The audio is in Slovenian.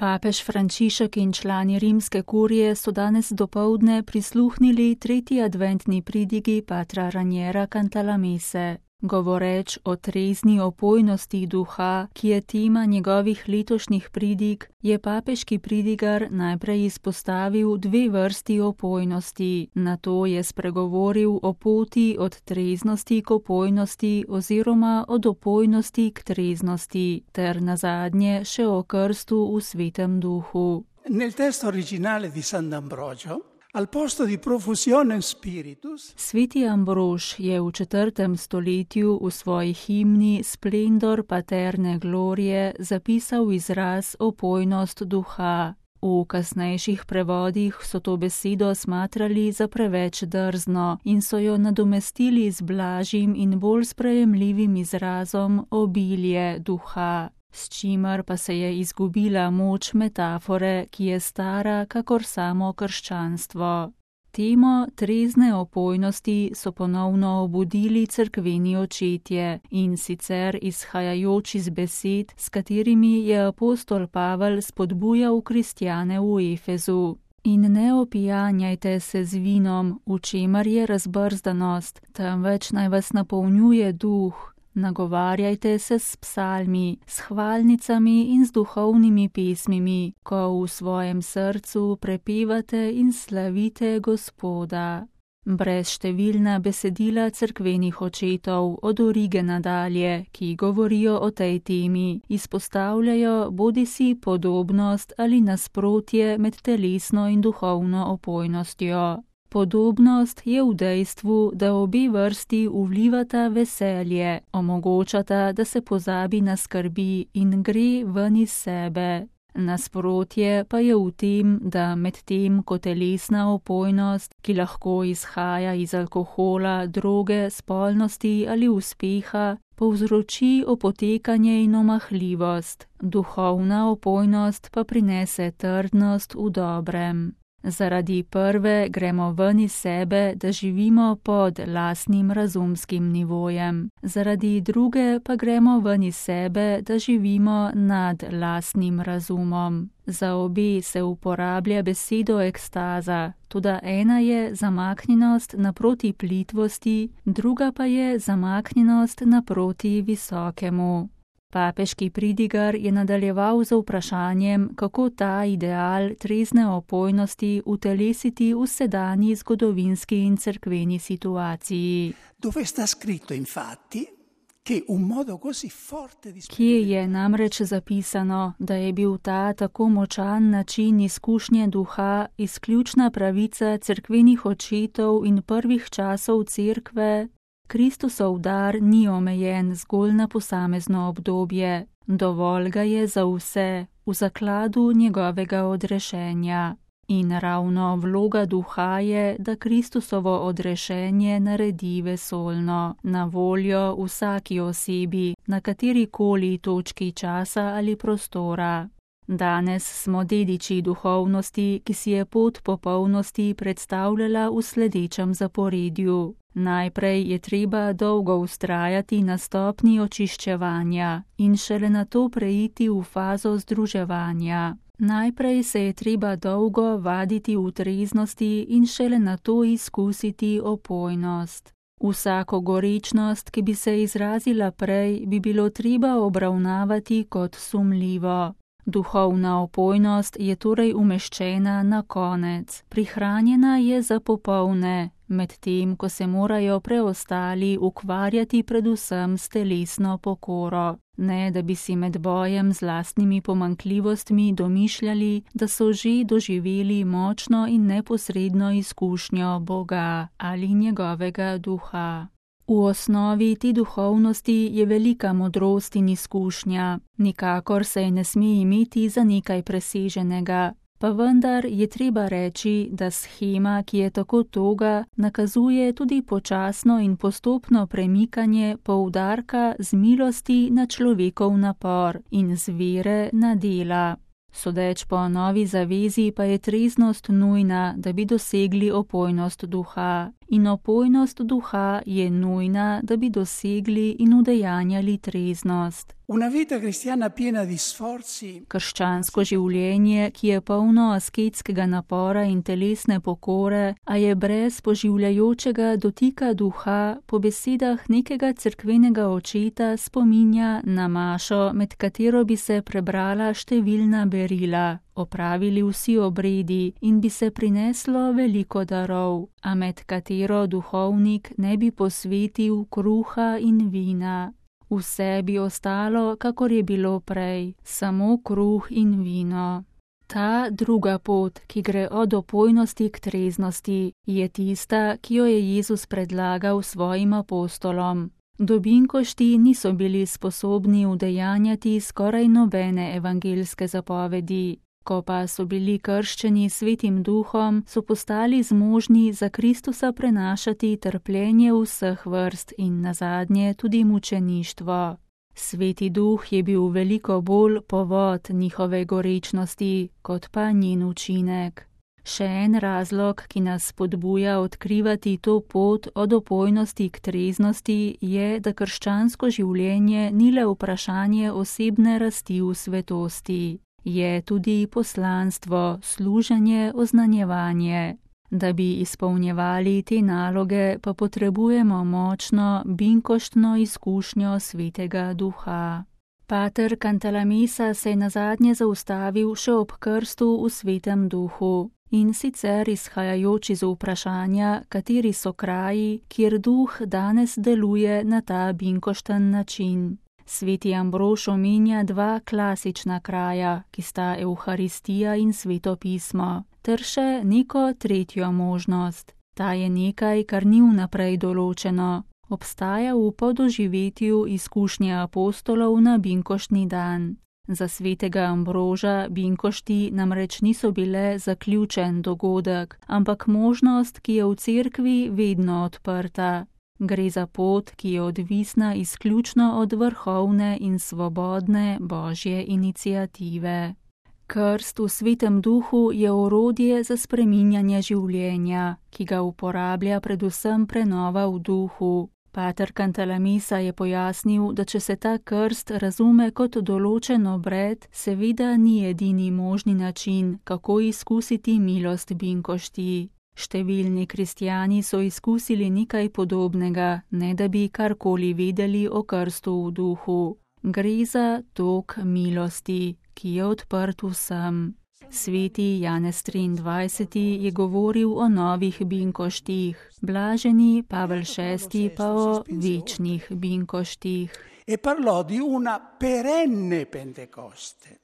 Papež Frančišek in člani rimske kurije so danes dopoldne prisluhnili tretji adventni pridigi patra Raniera Cantalamesse. Govoreč o trezni opojnosti duha, ki je tema njegovih letošnjih pridig, je papeški pridigar najprej izpostavil dve vrsti opojnosti. Nato je spregovoril o poti od treznosti k opojnosti oziroma od opojnosti k treznosti, ter nazadnje še o krstu v svetem duhu. Nel testo originale di Sant'Ambrogio, al posto di profusione spiritus, Sveti Ambrož je v 4. stoletju v svoji himni Splendor Paterne Glorie zapisal izraz opojnost duha. V kasnejših prevodih so to besedo smatrali za preveč drzno in so jo nadomestili z blažjim in bolj sprejemljivim izrazom obilje duha, s čimer pa se je izgubila moč metafore, ki je stara kakor samo krščanstvo. Temo trezne opojnosti so ponovno obudili cerkveni očetje, in sicer izhajajoč iz besed, s katerimi je apostol Pavel spodbujal kristjane v Efezu. In ne opijanjajte se z vinom, v čemer je razbrzdanost, temveč naj vas napolnjuje duh. Nagovarjajte se s psalmi, s hvalnicami in z duhovnimi pesmimi, ko v svojem srcu prepevate in slavite Gospoda. Brezštevilna besedila cerkvenih očetov od Origena dalje, ki govorijo o tej temi, izpostavljajo bodisi podobnost ali nasprotje med telesno in duhovno opojnostjo. Podobnost je v dejstvu, da obe vrsti vlivata veselje, omogočata, da se pozabi na skrbi in gre ven iz sebe. Nasprotje pa je v tem, da medtem ko telesna opojnost, ki lahko izhaja iz alkohola, droge, spolnosti ali uspeha, povzroči opotekanje in omahljivost, duhovna opojnost pa prinese trdnost v dobrem. Zaradi prve gremo ven iz sebe, da živimo pod lastnim razumskim nivojem. Zaradi druge pa gremo ven iz sebe, da živimo nad lastnim razumom. Za obe se uporablja besedo ekstaza, toda ena je zamaknjenost naproti plitvosti, druga pa je zamaknjenost naproti visokemu. Papeški pridigar je nadaljeval z vprašanjem, kako ta ideal trezne opojnosti utelesiti v sedanji zgodovinski in cerkveni situaciji. dove sta scritto infatti che un modo così forte di Kje je namreč zapisano, da je bil ta tako močan način izkušnje duha izključna pravica cerkvenih očetov in prvih časov cerkve? Kristusov dar ni omejen zgolj na posamezno obdobje, dovolj ga je za vse, v zakladu njegovega odrešenja. In ravno vloga duha je, da Kristusovo odrešenje naredi vesoljno, na voljo vsaki osebi, na katerikoli točki časa ali prostora. Danes smo dediči duhovnosti, ki si je pot popolnosti predstavljala v sledečem zaporedju. Najprej je treba dolgo vztrajati na stopnji očiščevanja in šele nato preiti v fazo združevanja. Najprej se je treba dolgo vaditi v treznosti in šele nato izkusiti opojnost. Vsako gorečnost, ki bi se izrazila prej, bi bilo treba obravnavati kot sumljivo. Duhovna opojnost je torej umeščena na konec, prihranjena je za popolne, medtem ko se morajo preostali ukvarjati predvsem s telesno pokoro, ne da bi si med bojem z lastnimi pomanjkljivostmi domišljali, da so že doživeli močno in neposredno izkušnjo Boga ali njegovega duha. V osnovi te duhovnosti je velika modrost in izkušnja, nikakor se je ne sme imeti za nekaj preseženega, pa vendar je treba reči, da shema, ki je tako toga, nakazuje tudi počasno in postopno premikanje poudarka z milosti na človekov napor in z vere na dela. Sodeč po novi zavezi pa je treznost nujna, da bi dosegli opojnost duha, in opojnost duha je nujna, da bi dosegli in udejanjali treznost. Una vita cristiana piena di sforzi. Krščansko življenje, ki je polno asketskega napora in telesne pokore, a je brez poživljajočega dotika duha, po besedah nekega cerkvenega očeta spominja na mašo, med katero bi se prebrala številna berila, opravili vsi obredi in bi se prineslo veliko darov, a med katero duhovnik ne bi posvetil kruha in vina. Vse bi ostalo, kakor je bilo prej, samo kruh in vino. Ta druga pot, ki gre od opojnosti k treznosti, je tista, ki jo je Jezus predlagal svojim apostolom. Dobinkošti niso bili sposobni udejanjati skoraj nobene evangeljske zapovedi. Ko pa so bili krščeni Svetim Duhom, so postali zmožni za Kristusa prenašati trpljenje vseh vrst in nazadnje tudi mučeništvo. Sveti Duh je bil veliko bolj povod njihove gorečnosti, kot pa njen učinek. Še en razlog, ki nas spodbuja odkrivati to pot od opojnosti k treznosti, je, da krščansko življenje ni le vprašanje osebne rasti v svetosti. Je tudi poslanstvo, služenje, oznanjevanje. Da bi izpolnjevali te naloge, pa potrebujemo močno, binkoštno izkušnjo Svetega Duha. Pater Cantalamessa se je nazadnje zaustavil še ob krstu v Svetem Duhu, in sicer izhajajoč iz vprašanja, kateri so kraji, kjer Duh danes deluje na ta binkošten način. Sveti Ambrož omenja dva klasična kraja, ki sta Evharistija in Sveto pismo, ter še neko tretjo možnost. Ta je nekaj, kar ni vnaprej določeno. Obstaja v podoživetju izkušnje apostolov na binkoštni dan. Za svetega Ambroža binkošti namreč niso bile zaključen dogodek, ampak možnost, ki je v cerkvi vedno odprta. Gre za pot, ki je odvisna izključno od vrhovne in svobodne Božje iniciative. Krst v Svetem Duhu je orodje za spreminjanje življenja, ki ga uporablja predvsem prenova v duhu. Pater Cantalamessa je pojasnil, da če se ta krst razume kot določen obred, seveda ni edini možni način, kako izkusiti milost binkošti. Številni kristjani so izkusili nekaj podobnega, ne da bi karkoli vedeli o krstu v duhu. Gre za tok milosti, ki je odprt vsem. Sveti Janez 23. je govoril o novih binkoštih, blaženi Pavel VI. Pa o večnih binkoštih. E parlò di una perenne Pentecoste.